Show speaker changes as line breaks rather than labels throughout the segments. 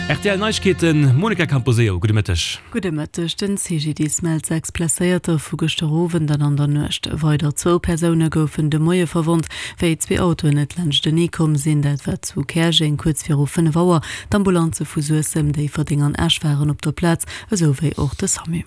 Rtl Neiegkeeten, Monica Camposeo, gudde Mëtteg.
Gudde Mëtteg. Den CGDIS mellt 6 Blesséierter vu gëschter Owend an an der Nuecht. Weider zwou Persoune goufen de Moie verwonnt, wéi zwee Autoen net laanschtenee komm sinn. Dat war zu Käerjeng kuerz viru 5 Auer. D'Ambulanze vu Suessem, Déifferdeng an Esch waren op der Plaz, esou wéi och de Samu.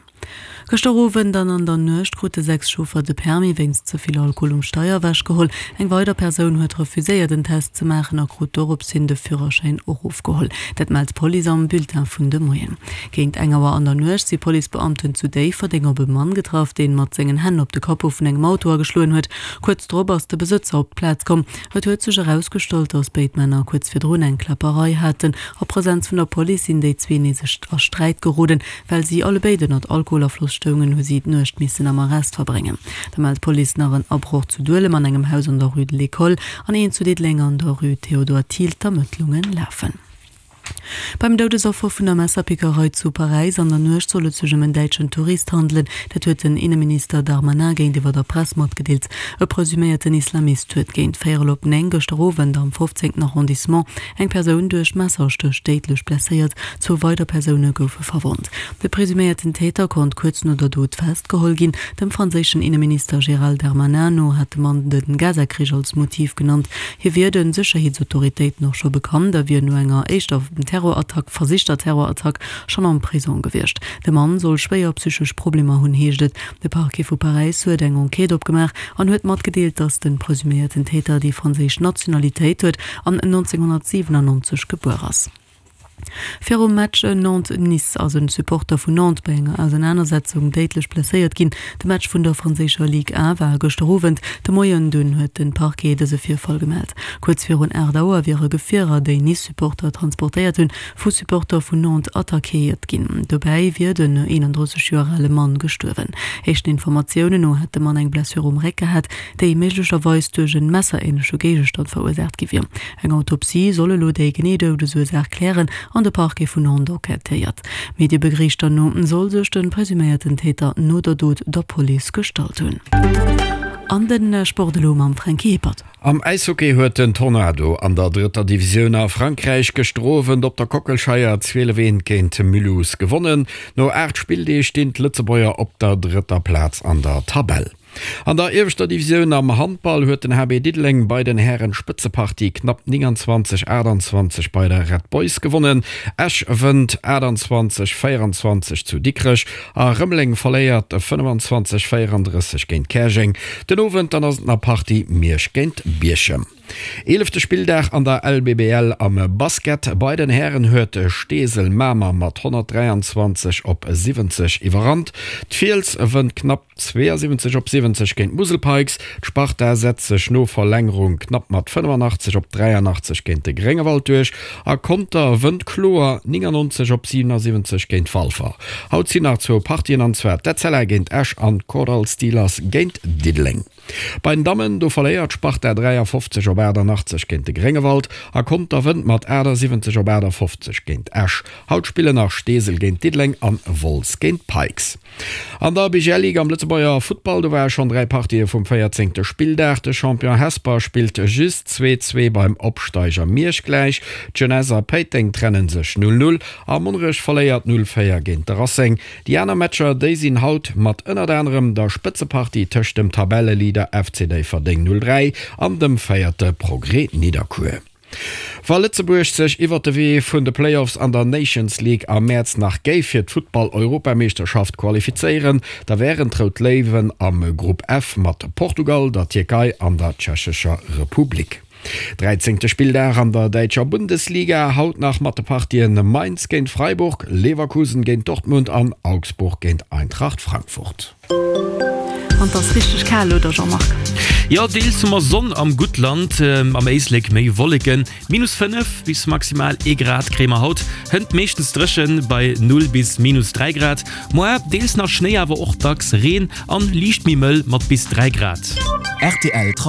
Gëschter Owend an an der Nuecht krute 6 Chauffer de Permis wéinst ze vill Alkohol um Steier ewechgeholl. Eng weider Persoun huet refuséiert en Test ze maachen a krut dorops hin de Führerschäin och ofgeholl. Dat mellt d'Police am Bulletin vun de Moien. Géint eng Auer an der Nuecht si Policebeamten zu Déifferdeng op e Mann getraff, deen mat sengen Hänn op de Capot vun engem Auto ageschloen huet. Kuerz drop ass de Besëtzer op d'Plaz komm. Et huet sech erausgestallt, datt béid Männer kuerz virdrun eng Kläpperei haten. A Presenz vun der Police sinn déi zwee nees a Sträit geroden. Well si allebéid ënnert Alkoholafloss stoungen, hu si d'Nuecht missen am Arrest verbréngen. Da mellt d'Police nach en Abroch zu Duelem an engem Haus an der Rue de l'École an een zu Diddeleng an der Rue Théodore Thiel. D'Ermëttlunge lafen. Beim Doudesaffer vun der Messerpickerei zu Paräis an der Nuecht soll et sech ëm en däitschen Tourist handelen. Dat huet den Inneminister Darmanin géintiwwer der Press matgedeelt. E presuméierten Islamist huet géint véierel op 9 gëschter Owend am 15. Arrondissement Eng Persoun duerch Messerstéch déidlech blesséiert, zwou weider Persoune goufe verwonnt. De presuméierten Täter konnt kuerz no der Dot festgeholl ginn. Dem franséischen Inneminister Gérald Darmanin no hat de Mann de Gaza-Krich als Motiv genannt. Hie wier de Sécherheetsautoritéiten och scho bekannt a wier no enger éischter Terrorattack, versichter Terrorattack, schonn am Prisong gewiescht. De Mann soll schwéier psychesch Problemer hunn, heescht et. De Parquet vu Paräis huet eng Enquête opgemaach an huet matgedeelt, datt de presuméierten Täter déi franséisch Nationalitéit huet an 1997 gebuer ass. Virum Match Nantes-Nice ass e Supporter vun Nantes bei enger Ausernanersetzung déidlech blesséiert ginn. De Match vun der franséischer Ligue 1 war gëschter Owend. De Moien dunn huet de Parquet dëse Virfall gemellt. Kuerz virun 8 Auer wiere Gefierer, déi Nice-Supporter transportéiert hunn, vu Supporter vun Nantes attackéiert ginn. Dobäi wier den 31 Joer ale Mann gestuerwen. Éischten Informatiounen no hätt de Mann eng Blessure um Réck gehat, déi méiglecherweis duerch en messeränleche Géigestand verursaacht gi wier. Eng Autopsie soll elo déi genee Doudesursaach klären an de Parquet vun Nantes enquêtéiert. Mediebegriichter no soll sech de presuméierten Täter no der Dot der Police gestallt hunn. An de Sport elo mam Franky Hippert.
Am Äishockey huet den Tornado an der drëtter Divisioun a Frankräich gëschter Owend op der Kockelscheier 12 Eent géint Mulhouse gewonnen. No 8 Spilldeeg stinn d'Lëtzebuerger op der drëtter Plaz an der Tabell. An der ieweschter Divisioun am Handball huet den HB Diddeleng bei den Hären Spëtzepartie knapp 29, 28 bei der Red Boys gewonnen. Esch wënnt 28, 24 zu Dikrech A Rëmeleng verléiert 25, 34 géint Käerjeng. Den Owend dann ass et nach Partie Miersch géint Bierchem. Eelefte Spilldag an der LBBL am Basket. Bei den Hären huet Steesel Mamer mat 123 op 70 iwwerrannt. D'Fiels wënnt knapp 72 op 70 géint d'Musel Pikes. D'Sparta setzt sech no Verlängerung knapp mat 85 op 83 géint de Gréngewald duerch a Conter wënnt kloer 99 op 77 géint Walfer. Haut sinn nach zwou Partien an zwar d'Etzella géint Esch an d'Kordall Steelers géint Diddeleng. Bei den Dammen do verléiert d'Sparta 53 op 88 géint de Gréngewald a Conter wënnt mat 78 op 58 géint Esch. Haut spillen nach Steesel géint Diddeleng an Wolz géint Pikes. An der BGL Ligue am Lëtzebuerger Futtball, do ware schonn 3 Partië vum 14. Spilldag. De Champion Hesper spillt just 2, 2 beim Opsteiger Miersch gläich. D'Jeunesse a Péiteng trenne sech 0, 0 a Monnerech verléiert 0, 4 géint de Racing. Déi aner Matcher, déi sinn haut mat ënnert anerem der Spëtzepartie tëscht dem Tabelleleader FC Déifferdeng 0, 3 an dem Véierte Progrès Nidderkuer. Wa Lëtzebuerg sech iwwert de Wee vun de Playoffs an der Nations League am Mäerz nach géif fir d'Futtball-Europameeschterschaft qualifizéieren, da wären d'Rout Léiwen am Grupp F mat Portugal, der Tierkei an der Tschechescher Republik. Dräizéngte Spilldag an der däitscher Bundesliga, haut nach mat de Partien Mainz géint Freiburg, Leverkusen géint Dortmund an Augsburg géint Eintracht Frankfurt.
An 't ass richteg kal, oder Jean-Marc?
Jo, deels hu mer Sonn am Guttland, am Éislek méi Wolleken. Minus 5 bis maximal ee Grad kréie mer haut, hënt meeschtens dréchen bei 0 bis minus 3 Grad. Moar deels nach Schnéi, awer och dacks Reen an liicht méi mëll mat bis 3 Grad.
Rtl Trafic.